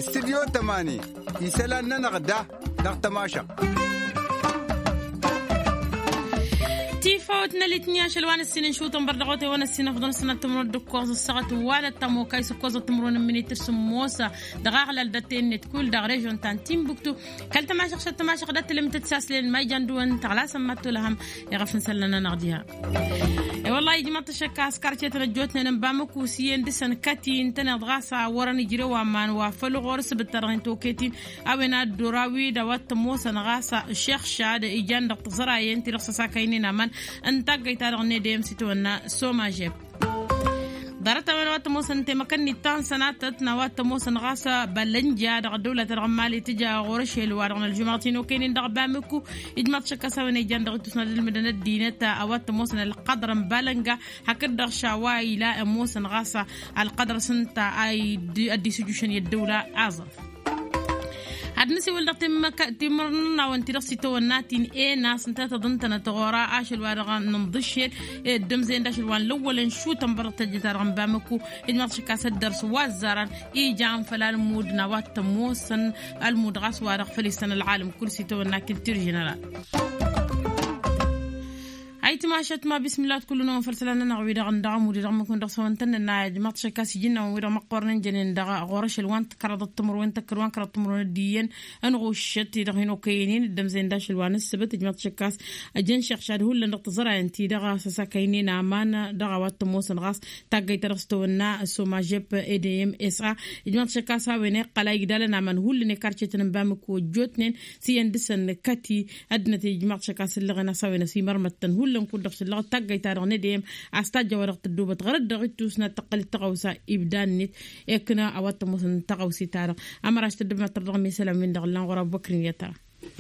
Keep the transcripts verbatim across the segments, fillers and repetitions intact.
Studyo tămani isălan-nănăɣ da dăɣ-tămašăɣt. Tifawt n-elitni ašăl wa n-ǝssin n-išutăn bărdăɣotewăn ǝssin ăfḍăn sănăt timrun d-ǝkkoẓ ăssaɣăt wa n-ăttămokay s-ǝkkoẓ timrun n-minităr s-ămoos dăɣ-aɣlal d-ăttennet kull dăɣ-režon ta n-timbuktu. Kăl-tămašăɣ šăt tămašăɣ d-ăttălămtăt s-aslen ma ijan dăwăn tăɣlasăn ma t-tulăhăm iɣăf n-isălan-nănăɣ diha. I-wăllah ijmăḍ-t ašăkka s-karcetăn ăjjootnen n-bamăku s-iyyăn dăɣ-săn kăti ǝntăneḍ ɣas a wărăn ijrew aman wa făll-ɣur-s bǝttărăɣ n-toketin a-wen ad-dd-orawi d-a-wa t-ămoosăn ɣas šex šad ijan dăɣ-tiẓărayen ti-dăɣ s-ăsakăynen aman n-taggăyt-ta-dăɣ n-edeyăm s-itawănna somažeb. Ḍarăt-a-wen a-wa t-ămoosăn temăkăn-nit ta n-sănatăt n-a-wa t-ămoosăn ɣas bălănja dăɣ-ăddăwla-ta-dăɣ n-mali tǝja ɣur-ašel wa-dăɣ n-ălžumăɣăt-in okăynen dăɣ-bamăku. Ijmăḍ šăkk a-s a-wen ijan dăɣ-ittus n-ad-ǝlmǝdăn ăddinăt a-wa t-ămoosăn ălqăḍr n-balănga hakd-dăɣ šawa ila ămoosăn ɣas ălqăḍr s-ǝnta a dd-isujušăn i-ăddăwla aẓăf. Ad-nǝsiwǝl dăɣ-timǝrnănawăn-ti-dăɣ s-itawănna ti n-ena s-ǝnta tăḍǝntănăt ɣur-a ašăl wa dăɣ-nǝnḍǝššel d-ămzăyăn d-ašăl wa n-lăwwălăn šutăn bărăt tăjjăt-a-dăɣ n-bamăku. Ijmăḍ šăkk a-s ăddărs wa ăzzarăn ijan făll-almud n-a-wa t-ămoosăn almud ɣas wa dăɣ-făl isăn ălɣalăm kull s-itawănna kiltir ženeral. Ayǝtmašăt ma bismillah d-kull-năwăn făll-isălan-nănăɣ wi-dăɣ n-dăɣ-amud i-dăɣ măkun dăɣ-săwăn tăn-nănna ijmăḍ šăkk a-s ijǝnnawăn wi-dăɣ măqqornen jănen dăɣ-ɣur-ašăl wa n-tǝkrăḍăt timǝrwen tăkkăr wa n-kărăḍ timǝrwen d-iyyăn ănɣuššăt-i-dăɣ hin-okăyăn-in dd-ămzăyăn d-ašăl wa n-ǝssǝbăt ijmăḍ šăkk a-s ăjăn šeɣšad hullan dăɣ-tiẓărayăn-ti-dăɣ a-s ăsakăynen aman dăɣ-a-wa t-ămoosăn ɣas taggăyt ta dăɣ-s tăwănna s-omajep edeyăm s-a ijmăḍ šăkk a-s a-wen iqqăl a igdalăn aman hullan i-karcetăn n-bamǝku ăjjootnen s-iyyăn dăɣ-săn kăti ăddinăt ijmaḍ šăkk a-s ǝllăɣen a-s a-wen ăsimărmăttăn hullan kud-dăɣ šăllăɣ taggăyt-ta-dăɣ n-edeyăm a-s tajja wa-dăɣ tăddobăt ɣărăt dăɣ-ittus n-ad-tăqqăl d-tăɣawsa ibda-net. Ekna a-wa t-ămoosăn tăɣawse-ta-dăɣ amăraš tăddăbnat tărdăɣ n-isălan-win-dăɣ ǝllan ɣur-abubăkr n-iyyăt-ta.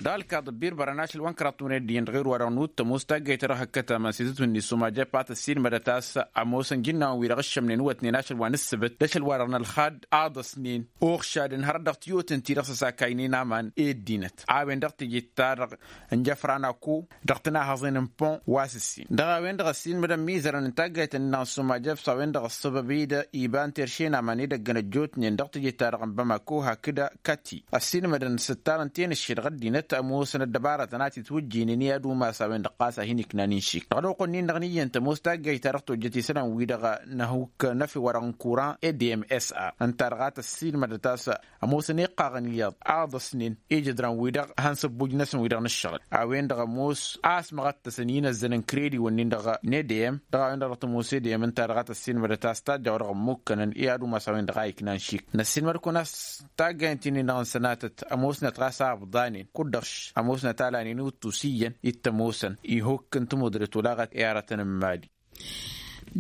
Dăɣ-ălkaḍ ăbbirbărăn ašăl wa n-kăraḍ tuned d-iyyăn dăɣ-ewăr wa-dăɣ n-uttămos taggăyt ta dăɣ-hăkkăt aman s-izǝtwǝnni s-omajep a tăssiilmădăt a-s ămoosăn jǝnnawăn-wi-dăɣ ǝššămnen wătnen ašăl wa n-ǝssǝbǝt d-ašăl wa-dăɣ n-ălxad aḍăsnen oɣšadăn hărăt dăɣ-tiyyotăn-ti-dăɣ s-ăsakaynen aman i-ăddinăt a-wen-dăɣ teje-ta-dăɣ n-jăfran ako dăɣ-tǝnahăẓen n-pon wa s-ǝssin dăɣ-a-wen-dăɣ ăssiilmădăn imizărăn n-taggayt-nănăɣ n-sumajăb s-a-wen-dăɣ ăṣṣăbăb-i-dd iba n-terše n-aman edăgg n-ăjjootnen dăɣ-teje-ta-dăɣ n-bamako hakd kati ăssiilmădăn s-ǝttarăn tenǝšše dăɣ-ăddinăt ămoosăn ăddăbarătăn a t-itwǝjjǝynen i-ad-umas a-wen-dăɣ ɣas a hin-iknan inšik dăɣ-ălwăqq-nin-dăɣ n-iyyăn tămoos taggayt-ta-dăɣ tojjăt isălan-wi-dăɣ n-ahuk năfe-wa-dăɣ n-kuran edem s-a ǝnta-dăɣ a tăssiilmădăt a-s ămoosăn iqqaɣăn iyyăḍ aḍăsnen ijǝdran-wi-dăɣ han săbbuj-năsăn wi-dăɣ n-ǝššăɣǝl a-wen-dăɣ ămoos a-s măɣăttăsăn inăzzăn n-kredi-wǝnnin-dăɣ n-edeyăm dăɣ-a-wen-dăɣ dăɣ-tămoos edeyăm ǝnta-dăɣ a tăssiilmădăt a-s tajja wa dăɣ-ămmukkănăn i-ad-umas a-wen-dăɣ a iknan šik năssiilmăd-kăwăn a-s taggayăn ti-nin-dăɣ n-sănatăt ămoosnăt ɣas a ǝbḍanen kud-dăɣ ămoosnăt alanen i-utus iyyăn i t-ămoosăn ihukk n-tămudrăt olaɣăt i-aratăn n-mali.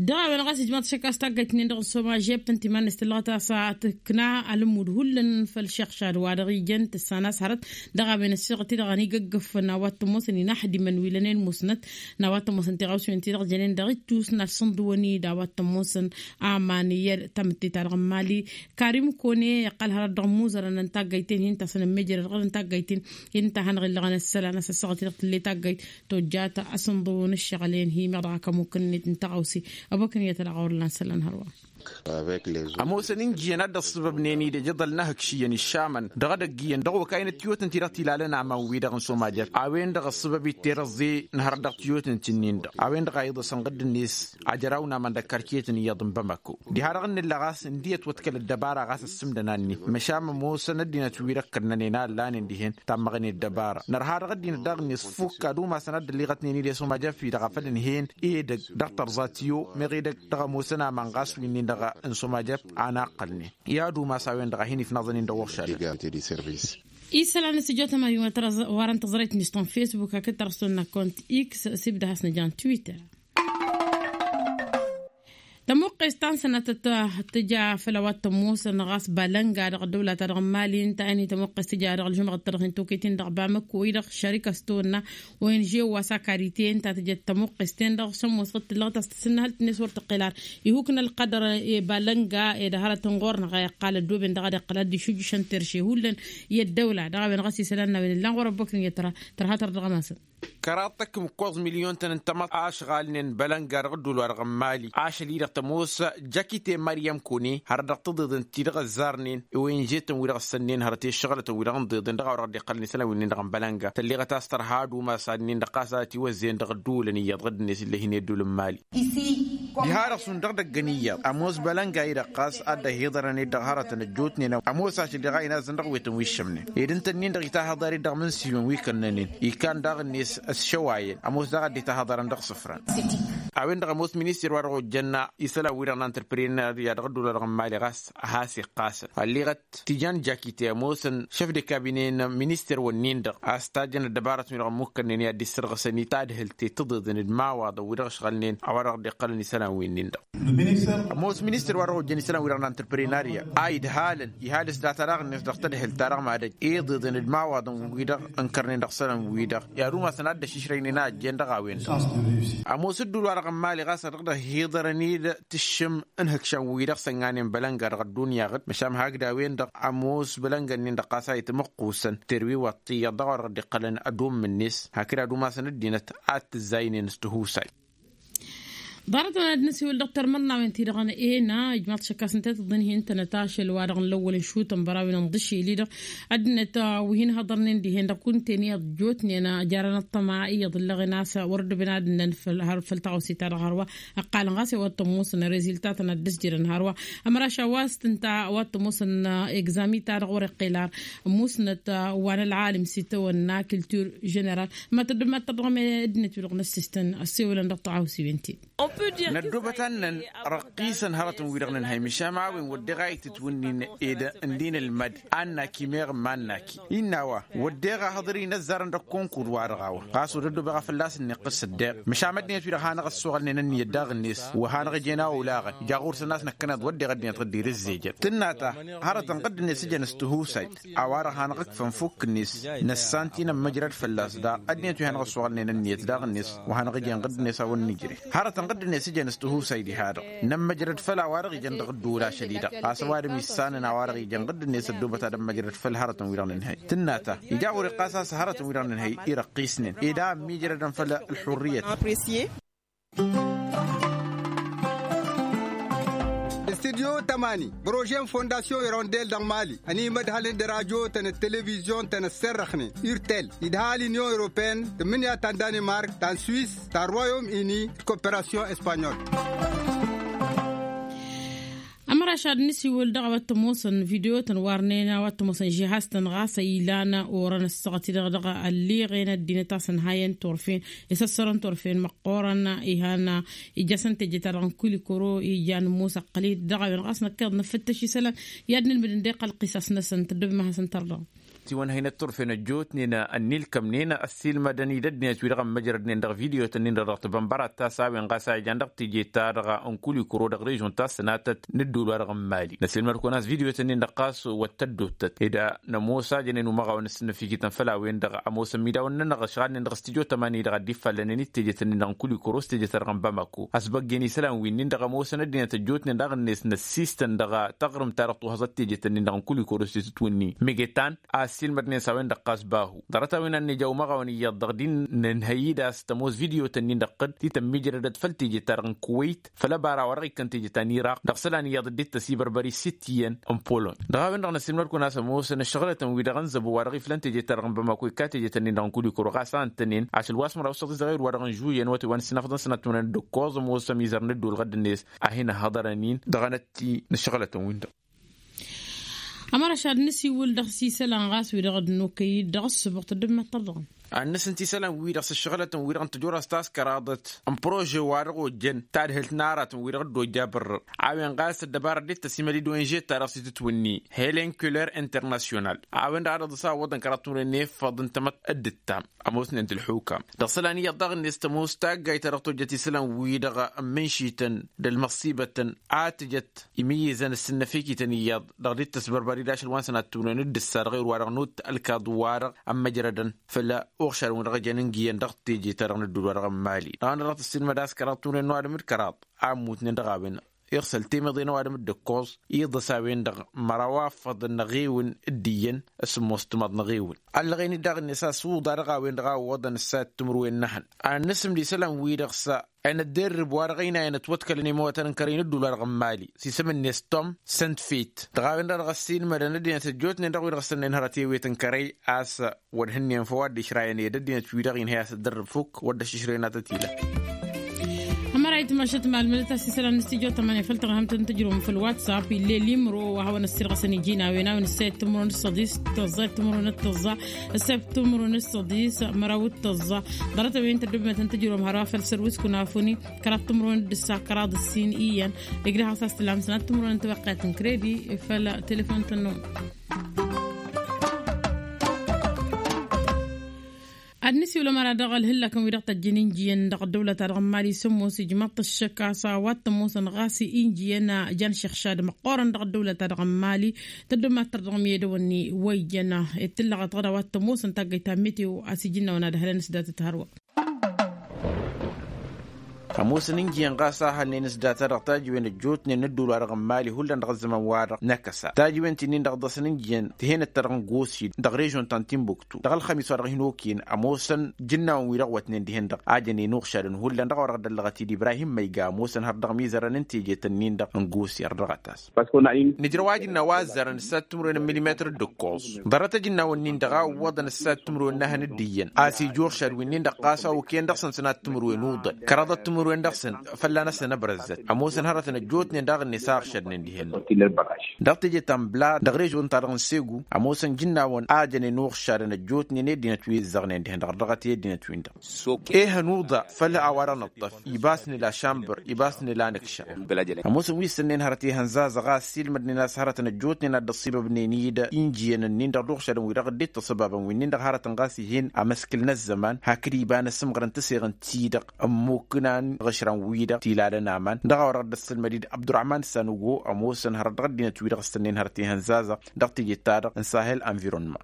Dăɣ-a-wen ɣas ijmaḍ šăkk a-s taggayt-nin-dăɣ n-soma žeb tăn-timan-net tǝllăɣăt a-s tǝkna alǝmmud hullan făll-šăɣšad wa dăɣ-ijăn tǝssan a-s hărăt dăɣ-a-wen ăssiɣăt-i-dăɣ ănigăggăfăn a-wa t-ămoosăn inaxdimen wi lănen musnăt n-a-wa t-ămoosăn tiɣawsiwen-ti-dăɣ jănen dăɣ-ittus n-ad-sǝnḍǝwăn-dd a-wa t-ămoosăn aman i-tamǝtte-ta-dăɣ n-mali. Karim kone iqqăl hărăt dăɣ-imuzărăn n-taggayt-en hin-tasăn ămmejăr ălɣăr n-taggayt-en hin-ta hanăɣ-illăɣăn ăssălan a-s ăssăɣăt-i-dăɣ tǝlle taggayt tojjat asǝnḍǝw n-ǝššăɣǝl-en hi-meɣ dăɣ-akămuk-net n-taɣawse. Ăbokăn iyyăt ălɣawăr lan isălan hărwa. Ămoosăn injǝyăn a dd-ăṣṣăbăbnen-dd ejăḍăl n-ahǝkšiyăn išamăn dăɣ-edăgg iyyăn dăɣ-okayăn d-tiyotăn-ti-dăɣ tilalăn aman-wi-dăɣ n-somajăb a-wen-dăɣ ăṣṣăbăb-dd terăẓẓe n-hărăt dăɣ-tiyotăn-ti-nin-dăɣ a-wen-dăɣ a iḍăsăn ɣǝdd-net ajăraw n-aman d-ăkkarketăn iyyăḍ n-bamako. Diha-dăɣ n-nǝlla ɣas ǝndiyăt wăt kăl-ăddăbara ɣas ăssǝmdăn annǝy măšan ămoosăn ăddinăt-wi-dăɣ kănnănen a ǝllanen dihen tammăɣnen ăddăbara nărha dăɣ-ăddinăt daɣ-net fukk ad-umasăn ad-dd-ălliɣătnen-dd i-sumajăb-fi-dăɣ a făl ǝnhăyăn edăgg dăɣ-tărẓa tiyo meɣ edăgg dăɣ-ămoosăn aman ɣas wi-nin-dăɣ n-sumajăb a naqqălnen i-ad-umas a-wen-dăɣ a hin-ifnăẓăn-in dăɣ-uɣšadăn. Isălan n-asǝjjot ămăyun wa n-tăẓrăyt-net ta n-facebook hakd tărăston n-akont x s-ibda has-nǝja n-twitter. Tămuqqes ta n-sănatăt tǝja făll-a-wa t-ămoosăn ɣas balănga dăɣ-ăddăwla-ta-dăɣ n-mali ǝnta a hin-tămuqqes tǝja dăɣ-ălžumăɣăt-ta-dăɣ hin-tokăyt-in dăɣ-bamăko-i-dăɣ šărik a-s tăwănna ong wa s-akad-ite ǝnta tǝjăt tămuqqes-ten-dăɣ šămmos ɣǝd tǝllăɣăt a-s tǝssǝnnăhăl-t-net wăr tǝqqel ar ihuk n-ălqădăr i-balănga ed hărăt n-ɣur-năɣ a iqqal ăddooben dăɣ-ad-iqqăl ad-dd-išujjǝšăn terše hullan i-ăddăwla dăɣ-a-wen ɣas isălan n-a-wen ǝllan ɣur-ăbbăknǝyăt tărha tărdăɣ-masăn. Kăraḍ tăkkǝm ǝkkoẓ milyon-tăn n-tamăḍt ašɣalnen bălănga dăɣ-ădduul-wa-dăɣ n-mali ašăl-i-dăɣ tămoos jakite maryam kone hărăt dăɣ-tǝḍeḍen ti-dăɣ ăzzarnen i-wen-žetăn wi-dăɣ ăssănnen hărăt i-ăššăɣǝlătăn wi-dăɣ n-iḍeḍen dăɣ-a-wa-dăɣ dd-iqqălăn isălan wi-nin-dăɣ n-bălănga tălleɣăt a-s tărha ad-umas ad-nin-dăɣ ɣas a ătiwăzzeyăn dăɣ-ădduulăn iyyăḍ ɣǝddǝnet ill'-e hin-e ădduul n-mali. Diha-dăɣ šund dăɣ-idăggăn iyyăḍ ămoos bălănga-i-dăɣ ɣas a dd-ăhiḍărăn-dd dăɣ-hărătăn ăjjootnen ămoos ašăl iɣayăn a ǝzzăn dăɣ-wetăn wi ǝššămnen ed ǝnta-nin-dăɣ itahăḍar-dd dăɣ-imǝnsiwăn wi kănnănen ikan daɣ-net ăsšăwayăn ămoos daɣ a dd-itahăḍarăn dăɣ-isǝfran. A-wen-dăɣ ămoos minister wa dăɣ-ojjăn isălan-wi-dăɣ n-antrăprenarya dăɣ-ădduul-wa-dăɣ n-mali ɣas a has-iqqasăn ălleɣăt tijan jakite ămoosăn šef de kabine n-minister-wăn-nin-dăɣ a-s tajjăn ăddăbarătăn-wi-dăɣ ămmukkănnen i-ad-dd-issărɣǝsăn i-tadhǝlt i-tǝḍeḍen d-imawaḍăn wi-dăɣ ǝšɣălnen a-wa-dăɣ dd-iqqălăn isălan-win-nin-dăɣ. Ămoos ministăr wa dăɣ-ojjăn isălan-wi-dăɣ n-antrăprenarya a idhalăn ihal s-data daɣ-net dăɣ-tadhǝlt-ta-dăɣ mad-ăj iḍeḍen d-imawaḍăn-wi-dăɣ ǝnkărnen dăɣ-isălan-wi-dăɣ i-ad-umasăn ad-dd-ăšišrăynen a ăjjeen dăɣ-a-wen-dăɣ. Ămoos ǝddul-wa-dăɣ n-mali ɣas a dăɣ-dd-ăhiḍărăn-dd tǝššǝm n-ihǝkšan-wi-dăɣ sănnganen bălănga dăɣ-ăddunya ɣǝd măšan hakd a-wen-dăɣ ămoos bălănga-nin-dăɣ ɣas a itmăqqusăn terwiwăḍ tiyyăḍ dăɣ-a-wa dăɣ-dd-iqqălăn ad-ummǝnnes hakd ad-umasăn ăddinăt ad-t-ǝzzaynen s-tihusay. Ḍarăt-wen ad-nǝsiwǝl dăɣ-termărnawen-ti-dăɣ n-ena ijmaḍ šăkkas n-tetăḍ n-hin-tănăt ašăl wa dăɣ-nǝllăwwăl n-išutăn bărawen n-iḍǝšel-i-dăɣ ăddinăt wi hin-hăḍărnen dihen dăɣ-kunta-en iyyăḍ ăjjootnen jarăn ăṭṭăma iyyăḍ ǝllăɣen a-s wăr ăddăben ad-ǝnnăn făll-taɣawse-ta-dăɣ hărwa ǝqqalăn ɣas i-wa t-ămoosăn reziltatăn ad-dd-ǝsjărăn hărwa. Ămraš a-wa s-tǝnta a-wa t-ămoosăn egzami-ta-dăɣ wăr-iqqel ar ămusnăt wa n-ălɣalim s-itawănna culture ženeral. Ma tăddub ma tărdăɣăm ăddinăt-wi-dăɣ n-ăssistăn ăssewălăn dăɣ-taɣawsiwen-ti-dd. Năddubăt ad-nărăqqisăn hărătăn-wi-dăɣ nǝnhăy măšan a-wen wădden a itǝtwǝnnin ed ǝndin ǝlmăd a n-naki meɣ n-ma n-naki innă a-wa wădden a hăḍăr-i n-ăzzarăn dăɣ-konkur-wa-dăɣ a-wa ɣas wăr ăddobeɣ a fălla-s ǝnniqqǝs ăddeɣ măšan ăddinăt-wi-dăɣ hanăɣ-ăssoɣălnen ǝnniyăt daɣ-net wa hanăɣ-ăjeen a olaɣăn ija ɣur-săn a-s năkkăneḍ wădden ăddinăt ɣǝddir ǝzzejăn tǝnna ta hărătăn ɣǝdd-net ǝjăn s-tihusay a-wa-dăɣ hanăɣ-ǝkfăn fukk-net năssan ti nămmăjrăd fălla-s daɣ ăddinăt wi hanăɣ-ăssoɣălnen ǝnniyăt daɣ-net wa hanăɣ-ǝjăn ɣǝdd-net a wăr nǝjreh hărătăn ɣǝdd-net ǝjăn s-tihusay diha-dăɣ nămmăjrăd făll-a-wa-dăɣ ijăn dăɣ-ădduul ašăl-i-dăɣ a-s ăwadǝm issanăn a-wa-dăɣ ijăn ɣǝdd-net ăddoobăt ad-ămmăjrăd făll-hărătăn-wi-dăɣ nǝnhăy tǝnna ta ija ɣur-iqqas a-s hărătăn-wi-dăɣ nǝnhăy irăqqisnen ed a ămmiijrădăn făll-ălxurriyăt. Studyo tămani bărožen fondasyon irondel dăɣ-mali ănimădhălăn d-rajo-tăn d-televizyon-tăn ăsserrăxnen urtel idhal inyon europeen tǝmmǝnǝya ta n-danimark ta n-swis ta n-royom ini d-koperasyon espanyol. Ămraš ad-nǝsiwǝl dăɣ-a-wa t-ămoosăn video-tăn warnen a-wa t-ămoosăn žihaz-tăn ɣas a ilan orăn ăssaɣăt-i-dăɣ dăɣ-ălliɣen ăddinăt a-s ănhayăn turfen isăssărăn turfen măqqoorăn. Ihan ija-săn teje-ta-dăɣ n-kulikuro ija nǝmmus ăqqăl-i-dd dăɣ-a-wen ɣas năkk iḍ nǝfǝttăš isălan i-ad-nǝlmǝd ǝnda iqqăl ăqqisas-năsăn tăddobem ad-hasăn-tărdăɣăm. Tiwănhăynăt turfen ăjjootnen ănnilkămnen ăssiilmădăn-dd ăddinăt-wi-dăɣ ămmăjrădnen dăɣ-video-tăn-in-dăɣ dăɣ-tibănbărat ta s-a-wen ɣas a ijan dăɣ-teje-ta-dăɣ n-kulikuro dăɣ-režon ta s-sănatăt n-ădduul-wa-dăɣ n-mali năsilmăd-kăwăn a-s video-tăn-in-dăɣ ɣas wăr t-ăddottăt ed nămoos a jănen umăɣawăn s-sǝnnăfikităn făll-a-wen-dăɣ ămoosăn midawăn-nănăɣ ăšɣalnen dăɣ-s tijo tămani-dăɣ a dd-iffallănen d-teje-tăn-in-dăɣ n-kulikuro s-teje-ta-dăɣ n-bamako ăsbăggen isălan wi-nin-dăɣ ămoosăn ăddinăt ăjjootnen daɣ-net năssistăn dăɣ-taɣrǝmt-ta-dăɣ tuhaẓăt teje-tăn-in-dăɣ n-kulikuro s-titwǝnni megetan a ăssiilmădnen s-a-wen-dăɣ ɣas bahu ḍarăt-a-wen a n-nija umăɣawăn iyyăḍ dăɣ-din nǝnhăy-dd a-s tămoos video-tăn-in-dăɣ ɣǝd ti tămmiijrădăd făll-teje-ta-dăɣ n-kuwăyt făll-ăbara wa dăɣ-ikkăn teje ta n-iraq dăɣ-isălan iyyăḍ dd-tăsibărbăr i-sitiyăn n-polony. Dăɣ-a-wen-dăɣ năsiilmăd-kăwăn a-s ămoosăn ăššăɣǝlătăn-wi-dăɣ n-zăbo wa dăɣ-iflăn teje-ta-dăɣ n-bamako ikka teje-tăn-in-dăɣ n-kulikuro ɣas a ǝntănen ašăl wa s-măraw s-săḍi zăɣir wa dăɣ-n žuyăn wăte wa n-sinăfḍăn sănat timănăyăn d-ǝkkoẓ ămoosăm izăr n-ădduul ɣădd-net a hin-ăhhăḍărăn-in dăɣ-anătti n-ăššăɣǝlătăn-win-dăɣ. Ămăra ašad n-asiwǝl dăɣ-s isălan ɣas wi-dăɣ dd-nokăy-dd dăɣ-ăssǝbuɣ tăddǝm ma t-tărḍăɣăm. Ad-nǝsǝnt isălan-wi-dăɣ s-ăššăɣǝlătăn-wi-dăɣ n-tăjorăst ta s-kăraḍăt n-prože wa dăɣ-ojjăn tadhǝlt n-aratăn wi-dăɣ dd-ojja abărrăr a-wen ɣas ăddăbarăt dd-tăsimăl-dd onže-ta-dăɣ s-itǝtwǝnni helen kuller internasyonal a-wen-dăɣ ad-ăḍǝs a ǝwwăḍăn kăraḍ tunăyăn efăḍ n-tamăt d-ǝttam. Ămoosnen d-ǝlxukam dăɣ-isălan iyyăḍ daɣ-net tămoos taggayt ta dăɣ-tojjăt isălan-wi-dăɣ ǝmmǝnšităn d-ălmăṣṣibătăn a tǝjăt imǝyyǝzăn ǝssǝnnăfikităn iyyăḍ dăɣ-dd-tăsbărbăr-dd ašăl wa n-sănat tunăyăn d-ǝssa dăɣ-erwa-dăɣ n-utt ălkaḍ-wa-dăɣ ămmăjrădăn făll-uɣšarăn wi dăɣ-ijăn ǝngǝyăn dăɣ-teje-ta-dăɣ n-ădduul-wa-dăɣ n-mali dăɣ-anăɣ dăɣ-tǝssilmăd a-s kăraḍ tunăyăn n-ăwadǝm d-kăraḍ a ǝmmutnen dăɣ-a-wen. iɣsăl temeḍe n-ăwadǝm d-ǝkkoẓ iḍăs a-wen-dăɣ măraw afăḍăn n-eɣewǝn d-iyyăn. S-ǝmmos timaḍ n-eɣewǝn ăllăɣen-dd daɣ-net a-s uḍa dăɣ-a-wen-dăɣ a ǝwwăḍăn ǝssayăt timǝrwen n-ehăn ad-nǝsǝmd isălan-wi-dăɣ s-enădderrǝb wa dăɣ-ăynayăn ătwăḍkălăn i-imawătăn n-kărăy n-ǝddul wa dăɣ-n mali s-isǝm-net tom săntfet. Dăɣ-a-wen-dăɣ dăɣ-ăssiilmădăn ăddinăt ăjjootnen dăɣ-wi-dăɣ s-tănnen hărăt i-ewet n-kărăy a-s wăr hǝnnin făw ad-dd-išrayăn i-dd ăddinăt-wi-dăɣ inhăy a-s ăddărrǝb fukk wăr dd-ăššǝšrăyăn ad-tăt-ila. Ămăra itmăšăt malmădăt a-s isălan n-studyo tămănăy făll-tărhămt n-tǝjrǝwăm făll-whatsapp ill'-e limro wa hawăn-ăssirɣăsăn iji n-a-wen a-wen ăssayăt timǝrwen d-săḍis tăẓẓa timǝrwen d-tăẓẓa ăssayăt timǝrwen d-săḍis măraw d-tăẓẓa. Ḍarăt-a-wen tăddobimăt n-tǝjrǝwăm hărwa făll-sărwis kunafuni kăraḍ timǝrwen d-ǝssa kăraḍ ǝssin iyyăn. Igrăh a-s a-s tǝlhamsăn ad-timǝrwen n-tiwăqqet n-kredi făll-telefon tănnon. Ad-nǝsiwǝl ămăra dăɣ-ălhǝllakăn wi-dăɣ tăjjăn injiyăn dăɣ-ăddăwlăt-a-dăɣ n-mali s-ămoos ijmaḍ-t ăššăk a-s a-wa t-ămoosăn ɣas injiyăn jan šăxšad măqqoorăn dăɣ-ăddăwlăt-a-dăɣ n-mali. Tăddomat tărdăɣ miyădăwăn-ni wa ijăn ed tǝllăɣăt ɣăd a-wa t-ămoosăn taggăyt ta n-meteo a-s iji n-a-wăn ad-ăhlăn s-datăt hărwa. Ămoosăn injiyăn ɣas a hălnen s-data dăɣ-tajǝwen ăjjootnen n-ădduul-wa-dăɣ n-mali hullan dăɣ-ăzzăman-wa-dăɣ n-akăsa tajǝwen ti-nin-dăɣ ḍasăn injiyăn tihăynăt-ta-dăɣ n-gosid dăɣ-režon ta n-tinbuktu dăɣ-ălxămis wa dăɣ-hin-okăyăn. Ămoosăn jǝnnawăn-wi-dăɣ wătnen dihen-dăɣ a jăn inuɣšadăn hullan dăɣ-a-wa dăɣ-dd-ăllăɣăt-dd ibrahim măyga ămoosăn har dăɣ-mizărăn n-tejet-ǝnnin-dăɣ n-gosid har dăɣ-ătas. Nǝjrăw ajǝnna wa ăzzarăn ǝssat timǝrwen n-milimetăr d-ǝkkoẓ. Ḍarăt ajǝnnawăn-nin-dăɣ a ǝwwăḍăn ǝssat timǝrwen n-ehăn d-iyyăn a-s ija uɣšad wi-nin-dăɣ ɣas a okăyăn dăɣ-săn sănat timǝrwen uḍăl kăraḍăt timǝrwen dăɣ-săn. Fălla-năsăn ăbrăzzăt ămoosăn hărătăn ăjjootnen daɣ-net a ăɣšădnen dihen-dăɣ. Dăɣ-teje ta n-blad dăɣ-režon-ta-dăɣ n-segu ămoosăn jǝnnawăn a jănen uɣšadăn ăjjootnen i-ăddinăt wi ǝzzăɣnen dihen-dăɣ ărdăɣăt i-ăddinăt-win-dăɣ. Ehăn uḍa făll-a-wa-dăɣ nǝṭṭăf ibas nǝla šambăr ibas nǝla nǝkša. Ămoosăn wi ǝssǝnnen hărăt ihăn zazăɣ a ăssiilmădnen a-s hărătăn ăjjootnen a dd-ăṣṣibăbnen-i-dd injiyăn-ǝnnin-dăɣ d-uɣšadăn-wi-dăɣ dd-ittăṣăbabăn wi-nin-dăɣ hărătăn ɣas ihen amăskǝl n-ăzzăman hakd iba n-asǝmɣăr n-tǝseɣǝnt-ti-dăɣ ămmuknan ɣǝšran-wi-dăɣ tilalăn aman dăɣ-a-wa dăɣ-dd-ăssălmăd-i-dd abdurăhman sanugo. Ămoosăn hărăt dăɣ-ăddinăt-wi-dăɣ ǝssǝnnen hărăt ihăn zazăɣ dăɣ-teje-ta-dăɣ n-sahel anvirănma.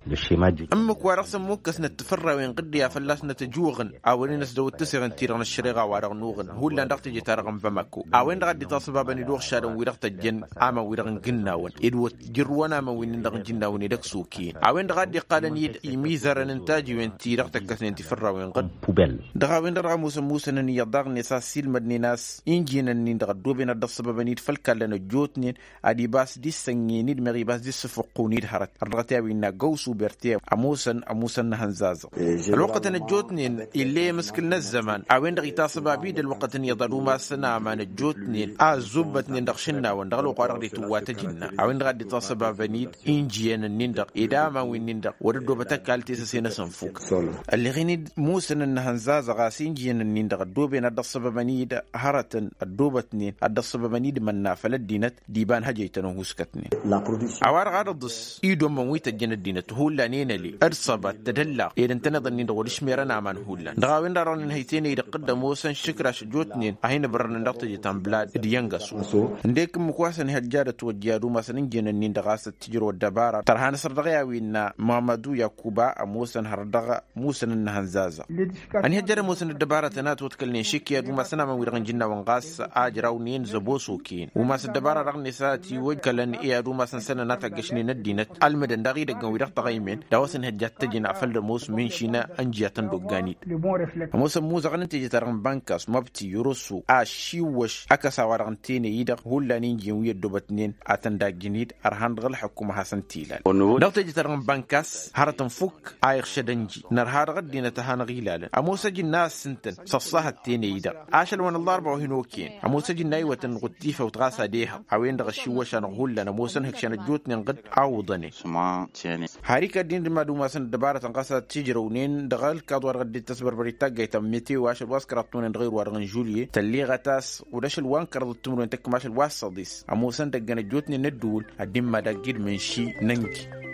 Ǝmmǝk-wa-dăɣ s-ămmukkăsnăt tifărrawen ɣǝdde a fălla-s nătăjuɣăn a wăren ăsdăwăt tăseɣăn-ti-dăɣ n-ăššăreɣa-wa-dăɣ n-uɣǝn hullan dăɣ-teje-ta-dăɣ n-bamako. A-wen-dăɣ a dd-itaṣăbabăn-dd uɣšadăn-wi-dăɣ tăjjăn aman-wi-dăɣ n-gǝnnawăn ed wăt jǝrrǝwăn aman wi-nin-dăɣ n-jǝnnawăn ed ăksoken a-wen-dăɣ a dd-iqqalăn-dd imizărăn n-tajiwen-ti-dăɣ tăkkăsnen tifărrawen ɣǝdd. Dăɣ-a-wen-dăɣ dăɣ-ămoosăn musăn-ǝnni iyyăḍ daɣ-net a ăssiilmădnen a-s injiyăn-ǝnnin-dăɣ ăddooben ad-dd-ăṣṣăbăbăn-dd făll-kallăn ăjjootnen ad-ibas d-issănnen-dd meɣ ibas d-issǝfǝqqun-dd hărăt ărḍăɣăt i-a-wen n-agăwsu berte. Ămoosăn ămoosăn n-ehăn zazăɣ ălwăqqătăn ăjjootnen ill'-e amǝskǝl n-ăzzăman a-wen-dăɣ itasăbab-dd ălwăqqătăn iyyăḍ ad-umasăn aman ăjjootnen a ăzzubbătnen dăɣ-išǝnnawăn dăɣ-ălwăqq wa dăɣ-dd-itǝwwa tăjǝnna. A-wen-dăɣ a dd-itasăbabăn-dd injiyăn-ǝnnin-dăɣ ed aman wi-nin-dăɣ wăr-ăddoobăt ăkall tesăse-năsăn fuk. Ălleɣen-dd musăn n-ehăn zazăɣ a-s injiyăn-ǝnnin-dăɣ ăddooben ad-dd-ăṣṣăbăbăn-dd hărătăn ăddoobătnen ad-dd-ăṣṣăbăbăn-dd mănna făll-ăddinăt d-iba n-hăjăytăn ăhuuskătnen. A-wa-dăɣ ad-ăḍǝs idommăn wi tăjjăn ăddinăt hullan i-năli d-săbat d-ăllaɣ ed ǝntăneḍ-ǝnnin-dăɣ wăr-ǝšmerăn aman hullan dăɣ-a-wen-dăɣ a dăɣ-nǝnhăy tenăy d-iqqǝd ămoosăn šǝkraš ăjjootnen a hin-ǝbrărnăn dăɣ-teje ta n-blad d-iyyăn găsu. Ǝndek ǝmmǝk wa s-ănhăjja ad-ătwăjja ad-umasăn ǝnjǝyăn-ǝnnin-dăɣ a-s ăttijrăw ăddăbara tărha n-asăr dăɣ-i a-wi innă muhammadu yakuba ămoosăn hărăt dăɣ-musăn n-ehăn zazăɣ. Ănihăjja ad-ămoosăn ăddăbaratăn a ătwăḍkălnen šik i-ad-umasăn aman-wi-dăɣ n-jǝnnawăn ɣas a ǝjrawnen zăbo s-okăyăn umas ăddăbara dăɣ-net a ătiwăj kălăn i-ad-umasăn sănăn a taggăšnen ăddinăt ălmǝdăn daɣ-i idăggăn wi-dăɣ tăɣăymen. Dawăs ănihăjja ad-t-ăjǝn afăl d-ămoos mǝnši n-ǝnjǝyatăn d-oggani-dăɣ. Ămoosăn muzăɣăn n-teje-ta-dăɣ n-bankas mabti roso a ăšiwwăš ăkăs a-wa-dăɣ n-tenăy-i-dăɣ hullan injǝyăn wi ăddoobătnen ad-tăn-dd-ajjǝn-dd ărhan dăɣ-ălḥăkkum ad-hasăn-t-ilalăn dăɣ-teje-ta-dăɣ n-bankas. Hărătăn fukk a iɣšăd ănji nărha dăɣ-ăddinăt ad-hanăɣ-ilalăn ămoos ăjǝnna a ǝssǝntăn s-ăṣṣahăt tenăy-i-dăɣ ašăl wa n-ăllarba wa hin-okăyăn. Ămoos ăjǝnna a iwătăn ɣud tifăwt ɣas ad-ehăḍ a-wen-dăɣ ăšiwwăš-anăɣ hullan ămoosăn hǝkšăn ăjjootnen ɣǝd a uḍănen. Har ikădd-in d-mad-umasăn ăddăbarătăn ɣas ad-t-ǝjrăwnen dăɣ-ălkaḍ wa dăɣ-dd-ittăsbărbăr i-taggayt ta n-meteo ašăl wa s-kăraḍ tunăn dăɣ-irwa-dăɣ n-žulye tălleɣăt a-s wăr-dăɣ ašăl wa n-kăraḍăt timǝrwen tăkk mašăl wa s-săḍis. Ămoosăn dăgg-ănăjjootnen n-ădduul ad-dd-immad agg-dd-mǝnši n-ăngi.